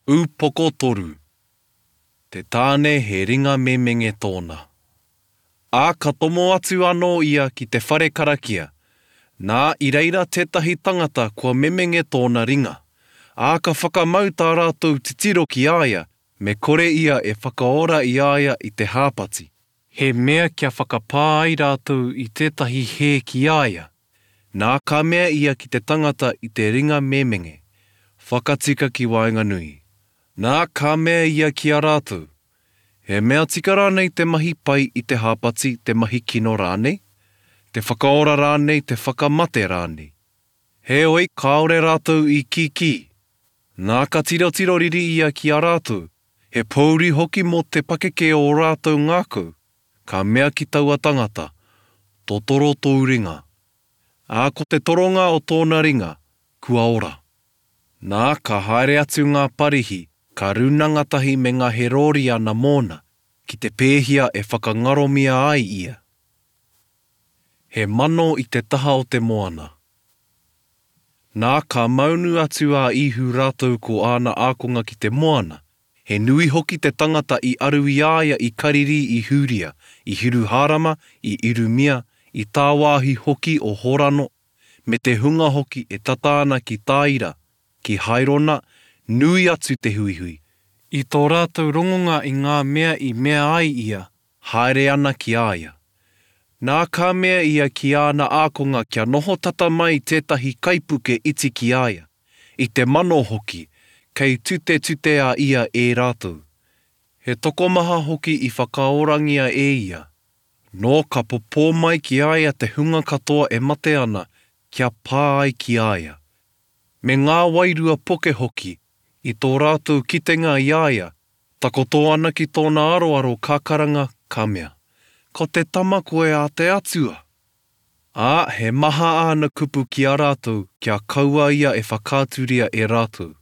Upoko toru. Te tāne he ringa memenge tōna. Ā, ka tomo atu anō ia ki te whare karakia, nā, i reira tētahi tangata kua memenge tōna ringa. Ā, ka whakamau tā rātou titiro ki a ia, me kore ia e whakaora i a ia i te hāpati. He mea kia whakapā ai rātou i tētahi hē ki a ia. Nā, ka mea ia ki te tangata i te ringa memenge, Whakatika ki waenganui. Nā, ka mea ia ki a rātou, He mea tika rānei te mahi pai i te hāpati, te mahi kino rānei? Te whakaora rānei, te whakamate rānei? Heoi, kāore rātou i kīkī. Nā, ka tirotiro riri ia ki a rātou, he pōuri hoki mō te pakeke o ō rātou ngākau. Ka mea ki taua tangata, Totoro tōu ringa. Ā, ko te toronga o tōna ringa, kua ora. Nā, ka haere atu ngā Parihi, ka rūnanga tahi me ngā Herōriana mōna, ki te pēhia e whakangaromia ai ia. He mano i te taha o te moana. Nā, ka maunu atu a Īhu rātou ko āna ākonga ki te moana, He nui hoki te tangata i aru i a ia i Karirī i Hūria, i Hiruhārama, i Irumia, i tāwāhi hoki o Horano, me te hunga hoki e tata ana ki Tāira, ki Hairona, nui atu te huihui. I tō rātou rongonga i ngā mea i mea ai ia, haere ana ki a ia. Nā ka mea ia ki āna ākonga kia noho tata mai tētahi kaipuke iti ki a ia, i te mano hoki, kei tutetute a ia e rātou. He tokomaha hoki i whakaorangia e ia. Nō ka popō mai ki a ia te hunga katoa e mate ana, kia pā ai ki a ia. Me ngā wairua poke hoki, i tō rātou kitenga i a ia, takoto ana ki tōna aroaro ka karanga, ka mea, Ko te Tama koe a te Atua! Ā, he maha āna kupu ki a rātou kia kaua ia e whakaaturia e rātou.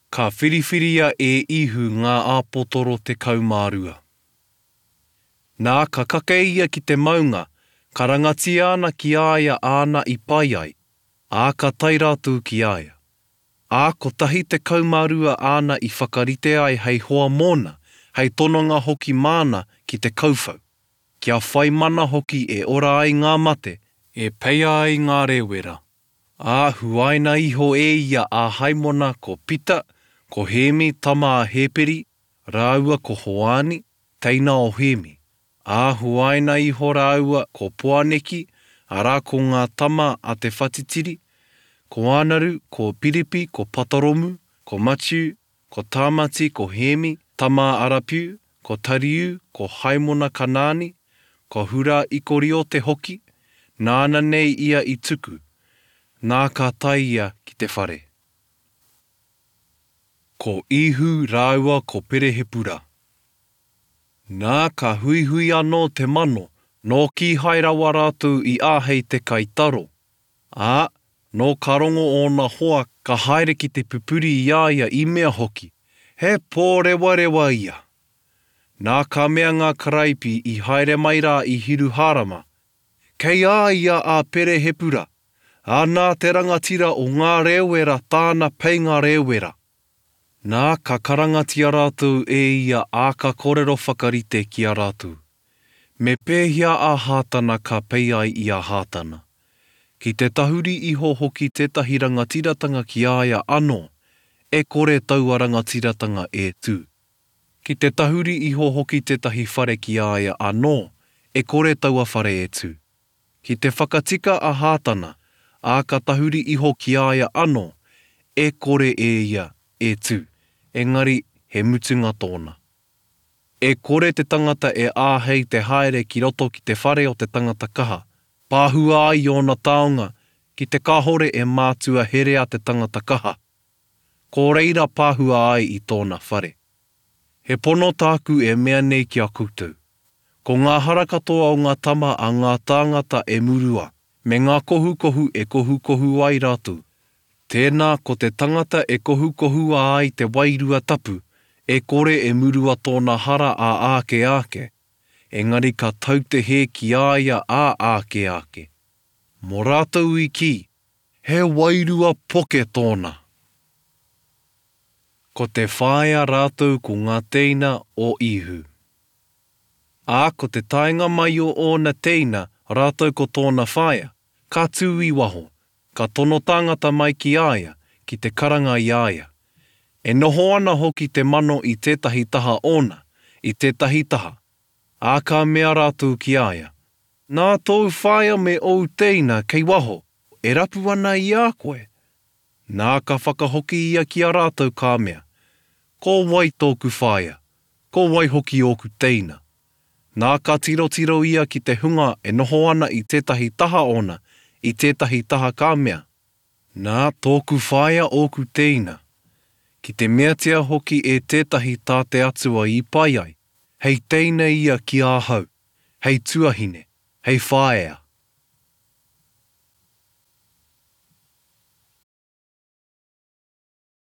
Ka whiriwhiria e Īhu ngā āpotoro 12. Nā, ka kake ia ki te maunga, karangatia ana ki a ia āna i pai ai, ā, ka tae rātou ki a ia. Ā, kotahi 12 āna i whakarite ai hei hoa mōna, hei tononga hoki māna ki te kauwhau. Kia whai mana hoki e ora ai ngā mate, e peia ai ngā rēwera. Ā, huaina iho e ia a Haimona ko Pita, ko Hēmi tama a Hēperi, rāua ko Hoani, teina o Hēmi. Ā, huaina iho rāua ko Poaneki, arā ko ngā tama a te whatitiri, ko Ānaru, ko Piripi, ko Pataromu, ko Matiu, Ko Tāmati, ko Hēmi, tama a Arapiu, ko Tariu, ko Haimona Kanaani, ko Hurā Ikoriote hoki, nāna nei ia i tuku, nā ka tae ia ki te whare. Ko Īhu rāua ko Perehepura. Nā, ka huihui anō te mano, nō kīhai rawa rātou i āhei te kai taro. Ā, nō ka rongo ōna hoa ka haere ki te pupuri i a ia i mea hoki, He pōrewarewa ia! Nā ka mea ngā karaipi i haere mai rā i Hiruhārama, Kei a ia a Perehepura, ā, nā te rangatira o ngā rēwera tāna peinga rēwera. Nā, ka karangatia rātou e ia ā ka kōrero whakarite ki a rātou. Me pēhea a Hātana ka pei ai i a Hātana? Ki te tahuri iho hoki tētahi rangatiratanga ki a ia anō, e kore taua rangatiratanga e tū. Ki te tahuri iho hoki tētahi whare ki a ia anō, e kore taua whare e tū. Ki te whakatika a Hātana, ā, ka tahuri iho ki a ia anō, e kore e ia e tū, engari he mutunga tōna. E kore te tangata e āhei te haere ki roto ki te whare o te tangata kaha, pāhua ai ōna taonga, ki te kāhore e mātua herea te tangata kaha, ko reira pāhua ai i tōna whare. He pono tāku e mea nei ki a koutou, ko ngā hara katoa o ngā tama a ngā tāngata e murua, me ngā kohukohu e kohukohu ai rātou. Tēnā, ko te tangata e kohukohua ai te Wairua Tapu, e kore e murua tōna hara ā āke āke, engari ka tau te hē ki a ia ā āke āke. Mō rātou i kī, He wairua poke tōna. Ko te whaea rātou ko ngā tēina o Īhu. Ā, ko te taenga mai o ōna tēina rātou ko tōna whaea, ka tū i waho, ka tono tāngata mai ki a ia, ki te karanga i a ia. E noho ana hoki te mano i tētahi taha ōna, i tētahi taha, ā, ka mea rātou ki a ia, Nā tōu whaea me ōu tēina kei waho, e rapu ana i a koe. Nā ka whakahoki ia ki a rātou ka mea, Ko wai tōku whaea, ko wai hoki ōku teina? Nā ka tirotiro ia ki te hunga e noho ana i tētahi taha ōna, i tētahi taha ka mea, Nā, tōku whaea ōku tēina, ki te meatia hoki e tētahi tā te Atua i pai ai, hei teina ia ki ahau, hei tuahine, hei whaea.